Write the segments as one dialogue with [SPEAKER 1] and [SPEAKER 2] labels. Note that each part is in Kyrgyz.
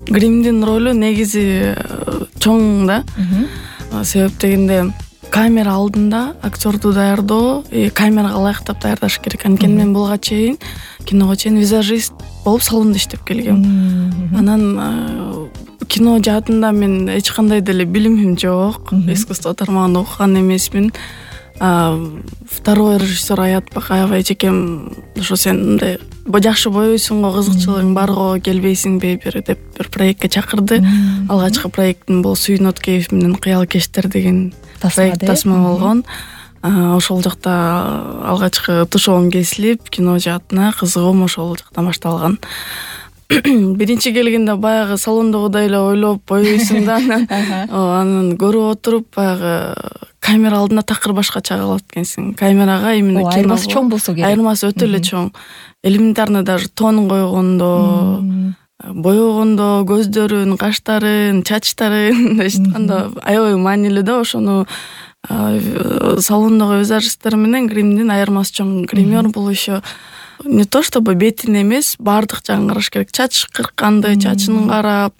[SPEAKER 1] гримдин ролу негизи чоң да. Себеп дегенде камера алдында актерду даярдоо, камерага ылайыктап даярдаш керек. Анткени мен булга чейин киного чейин визажист болуп салондо иштеп келгем. Анан кино жаатында мен эч кандай деле билимим жок. Искусство тармагында окуган эмесмин. Второй режиссер Аятбек аябай эчекем ошо сен мындай жакшы боейсуң го, кызыкчылыгың бар го, келбейсиңби бир деп бир проектке чакырды. Алгачкы проектим бул Сүйүн Откеев менен Кыял кештер деген проект тасма болгон. Ошол жакта алгачкы тушоом кесилип, кино жаатына кызыгуум ошол жактан башталган. Биринчи келгенде баягы салондогудай эле ойлоп боейсуң да, анан көрүп отуруп баягы камера алдында такыр башкача калат экенсиң. Камерага именно кино
[SPEAKER 2] айырмасы чоң болсо керек.
[SPEAKER 1] Айырмасы өтө эле чоң. Элементарно даже тон койгондо, боёгондо, көздөрүн, каштарын, чачтарын эчитканда аябай маанилүү да. Ошону салондогу визажисттер менен гримдин айырмасы чоң. Гример бул еще не то чтобы бетин эмес, баардык жагын караш керек. Чач кыркканды, чачын карап,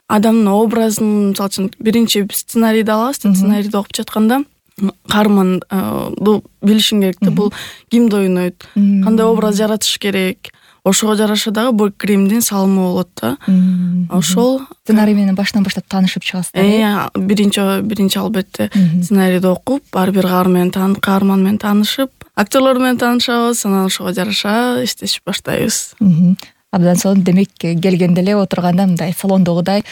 [SPEAKER 1] адамдын образын, мисалы үчүн биринчи сценарийди алабыз. Сценарийди окуп жатканда каарманды билишиң керек да, бул кимди ойнойт, кандай образ жаратыш керек. Ошого жараша дагы бул гримдин салымы болот да. Ошол
[SPEAKER 2] сценарий менен баштан баштап таанышып чыгасыздар.
[SPEAKER 1] Биринчи албетте сценарийди окуп, ар бир каарман менен таанышып, актерлор менен таанышабыз, анан ошого жараша иштешип баштайбыз.
[SPEAKER 2] Абдан сонун. Демек келгенде эле отурганда мындай салондогудай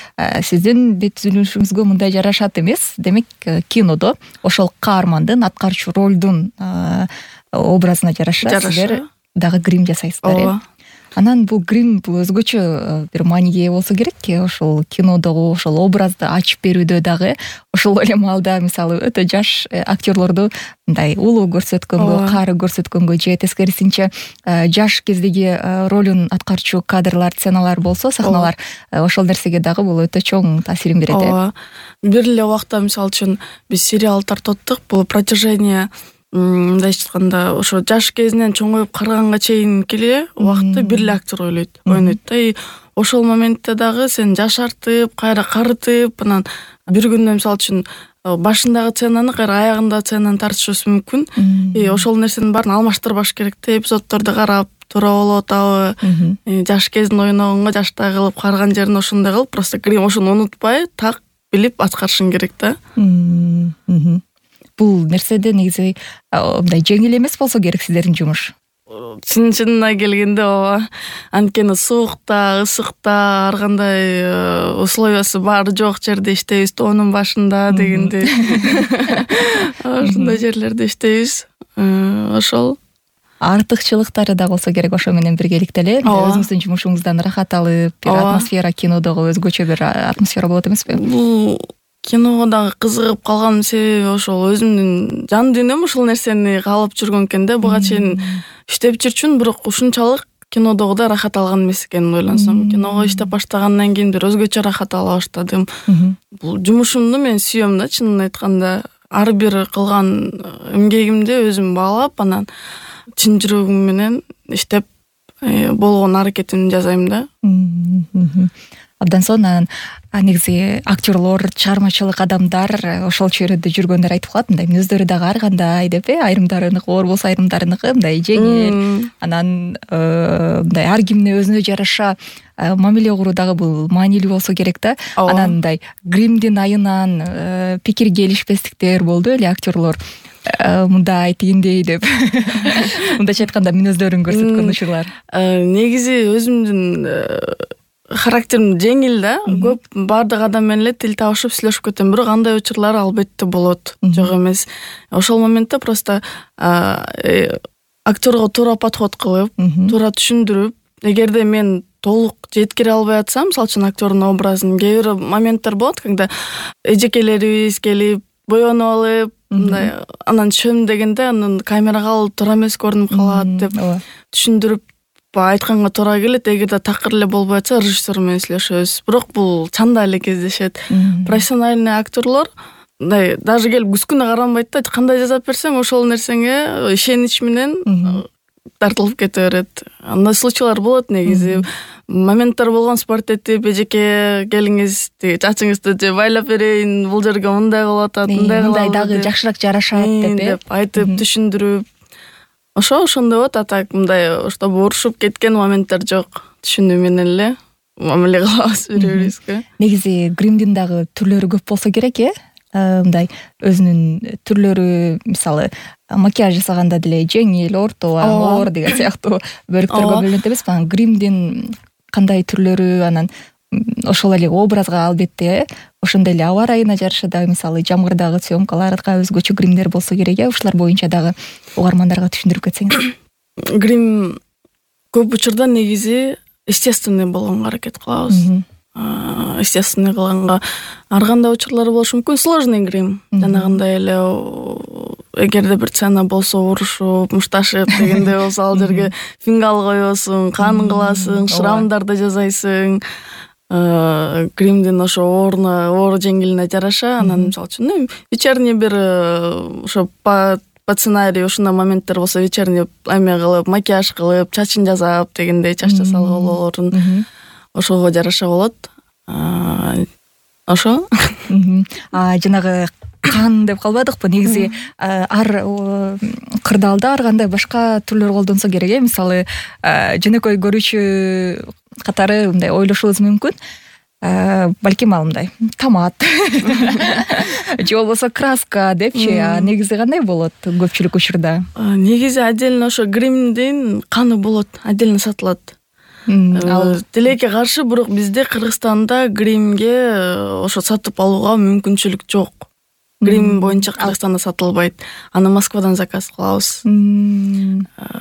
[SPEAKER 2] сиздин бет түзүлүшүңүзгө мындай жарашат эмес. Демек кинодо ошол каармандын, аткаруучу ролдун образына жараша сиздер дагы грим жасайсыздар. Анан бул грим бул өзгөчө бир мааниге ээ болсо керек. Ошол кинодогу ошол образды ачып берүүдө дагы ошол эле маалда мисалы өтө жаш актерлорду мындай улуу көрсөткөнгө, кары көрсөткөнгө же тескерисинче жаш кездеги ролун аткарчу кадрлар, сценалар болсо, сахналар, ошол нерсеге дагы бул өтө чоң таасирин берет.
[SPEAKER 1] Бир эле убакта мисалы үчүн биз сериал тартып, бул протяжение мындай айтканда ошо жаш кезинен чоңоюп караганга чейинки эле убакытты бир эле актер ойнойт да. Ошол моментте дагы сен жашартып, кайра карытып, анан бир күндө мисалы үчүн башындагы сценаны кайра аягындагы сценаны тартышыбыз мүмкүн. Ошол нерсенин баарын алмаштырбаш керек да. Эпизоддорду карап, туура болуп атабы, жаш кезин ойногонго жаштай кылып, караган жерин ошондой кылып, просто грим ошону унутпай, так билип аткарышың керек да.
[SPEAKER 2] Бул нерседе негизи мындай жеңил эмес болсо керек сиздердин жумуш.
[SPEAKER 1] Чынына келгенде ооба. Анткени суукта, ысыкта, ар кандай условиясы бар жок жерде иштейбиз, тоонун башында дегенде. Ошондой жерлерде иштейбиз. Ошол
[SPEAKER 2] артыкчылыктары да болсо керек ошо менен биргеликте эле. Өзүңүздүн жумушуңуздан ырахат алып, бир атмосфера, кинодогу өзгөчө бир атмосфера болот эмеспи?
[SPEAKER 1] Бул киного дагы кызыгып калганын себеби ошол өзүмдүн жан дүйнөм ушул нерсени каалап жүргөн экен да. Буга чейин иштеп жүрчүмүн, бирок ушунчалык кинодогудай рахат алган эмес экенин ойлансам. Киного иштеп баштагандан кийин бир өзгөчө рахат ала баштадым. Бул жумушумду мен сүйөм да, чынын айтканда. Ар бир кылган эмгегимди өзүм баалап, анан чын жүрөгүм менен иштеп болгон аракетимди жасайм да.
[SPEAKER 2] Абдан сонун. Негизи актерлор, чыгармачылык адамдар ошол чөйрөдө жүргөндөр айтып калат, мындай мүнөздөрү дагы ар кандай деп, айрымдарыныкы оор болсо айрымдарыныкы мындай жеңил. Анан мындай ар кимне өзүнө жараша мамиле куруу дагы бул маанилүү болсо керек да. Анан мындай гримдин айынан пикирге келишпестиктер болду эле актерлор. Мындай тигиндей деп. Мындайча айтканда мүнөздөрүн көрсөткөн учурлар.
[SPEAKER 1] Негизи өзүмдүн характерим жеңил да. Көп баардык адам менен эле тил табышып сүйлөшүп кетем, бирок андай учурлар албетте болот. Жок эмес. Ошол моментте просто актерго туура подход кылып, туура түшүндүрүп, эгерде мен толук жеткире албай атсам, мисалы үчүн актердун образын, кээ бир моменттер болот, когда эжекелерибиз келип, боенуп алып, мындай анан түшөм дегенде анан камерага алып туура эмес көрүнүп калат деп түшүндүрүп айтканга туура келет. Эгерде такыр эле болбой атса, режиссер менен сүйлөшөбүз. Бирок бул чанда эле кездешет. Профессиональный актерлор мындай даже келип күскүнө каранбайт да, кандай жасап берсең ошол нерсеңе ишенич менен тартылып кете берет. Андай случайлар болот негизи. Моменттер болгон спорт этип эжеке келиңиз чачыңызды же байлап берейин, бул жерге мындай кылып атат,
[SPEAKER 2] мындай дагы жакшыраак жарашат
[SPEAKER 1] деп айтып түшүндүрүп ошондой болот. А так мындай чтобы урушуп кеткен моменттер жок. Түшүнүү менен эле мамиле кылабыз бири-бирибизге.
[SPEAKER 2] Негизи гримдин дагы түрлөрү көп болсо керек, мындай өзүнүн түрлөрү, мисалы макияж жасаганда деле жеңил, орто, оор деген сыяктуу бөлүктөргө бөлүнөт эмеспи? Анан гримдин кандай түрлөрү, анан ошол эле образга албетте ошондой эле аба ырайына жараша дагы, мисалы жамгырдагы съемкаларга өзгөчө гримдер болсо керек, ушулар боюнча дагы угармандарга түшүндүрүп кетсеңиз.
[SPEAKER 1] Грим көп учурда негизи естественный болгонго аракет кылабыз. Естественный кылганга ар кандай учурлар болушу мүмкүн. Сложный грим жанагындай эле эгерде бир сцена болсо урушуп, мушташып дегендей болсо ал жерге фингал коесуң, кан кыласың, шрамдарды жасайсың. Гримдин ошо оор жеңилине жараша, анан мисалы үчүн вечерний бир ошо по сценарию ушундай моменттер болсо вечерний эме кылып, макияж кылып, чачын жасап дегендей, чач жасалгалоорун ошого жараша болот. Ошо.
[SPEAKER 2] Жанагы кан деп калбадыкпы? Негизи ар кырдаалда ар кандай башка түрлөр колдонсо керек, мисалы жөнөкөй көрүүчү катары мындай ойлошубуз мүмкүн. Балким ал мындай томат же болбосо краска депчи, негизи кандай болот көпчүлүк учурда?
[SPEAKER 1] Негизи отдельно ошо гримдин каны болот, отдельно сатылат. Тилекке каршы, бирок бизде Кыргызстанда гримге ошо сатып алууга мүмкүнчүлүк жок. Грим боюнча Кыргызстанда сатылбайт. Аны Москвадан заказ кылабыз.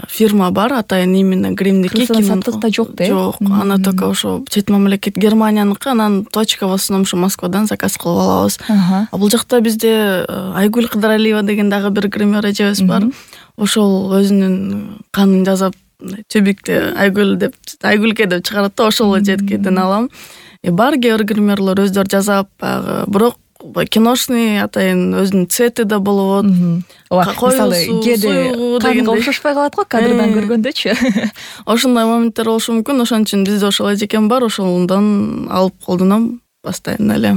[SPEAKER 1] Фирма бар, атайын именно гримдики.
[SPEAKER 2] Саттыкта жок да?
[SPEAKER 1] Жок. Аны только ошо чет мамлекет Германияныкы, анан точка в основном ошо Москвадан заказ кылып алабыз. А бул жакта бизде Айгүл Кыдыралиева деген дагы бир гример эжебиз бар. Ошол өзүнүн канын жазып, тюбикте Айгүл деп, Айгүлке деп чыгарат да, ошол жеткеден алам. Бар кээ бир гримерлер өздөрү жасап, бирок киношный атайын өзүнүн цвети да болот.
[SPEAKER 2] Мисалы кээде канга окшошпой калат го кадрдан көргөндөчү.
[SPEAKER 1] Ошондой моменттер болушу мүмкүн. Ошон үчүн бизде ошол эжекем бар, ошондон алып колдоном постоянно эле.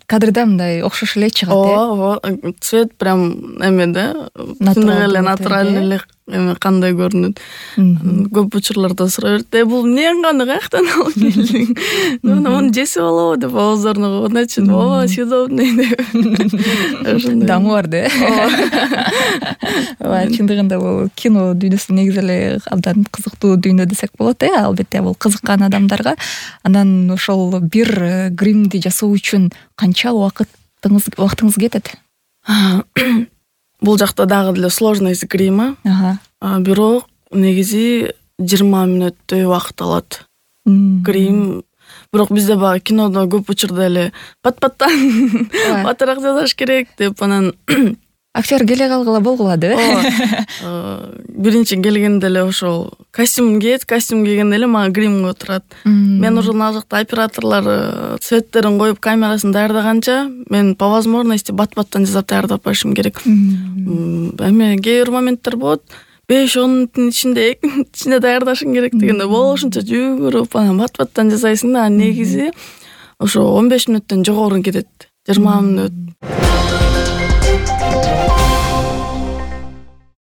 [SPEAKER 2] Кадрда мындай окшош эле чыгат,
[SPEAKER 1] цвет прям эме да, натуралдуу эле эме кандай көрүнөт. Көп учурларда сурай берет, бул эмнең каны каяктан алып келдиң? Муну жесип алабы деп оозуна конгончу, съедобный деп.
[SPEAKER 2] Дамы бар да. Чындыгында бул кино дүйнөсү негизи эле абдан кызыктуу дүйнө десек болот, албетте бул кызыккан адамдарга. Анан ошол бир гримди жасоо үчүн канча убактыңыз кетет?
[SPEAKER 1] Бул жакта дагы деле сложность грима. Бирок негизи 20 мүнөттөй убакыт алат. Грим. Бирок бизде баягы кинодо көп учурда эле пат-паттан батыраак жасаш керек деп анан
[SPEAKER 2] актер келе калгыла болгулады.
[SPEAKER 1] Биринчи келгенде эле ошол костюм кийгенде эле мага грим коюп турат. Мен уже ал жакта операторлор цветтерин коюп, камерасын даярдаганча, мен по возможности бат-баттан жасап даярдап коюшум керек. Эме кээ бир моменттер болот, 5-10 мүнөттүн ичинде 2 мүнөттүн ичинде даярдашың керек дегенде болушунча жүгүрүп анан бат-баттан жасайсың да, негизи ошо 15 мүнөттөн жогору кетет. 20 мүнөт.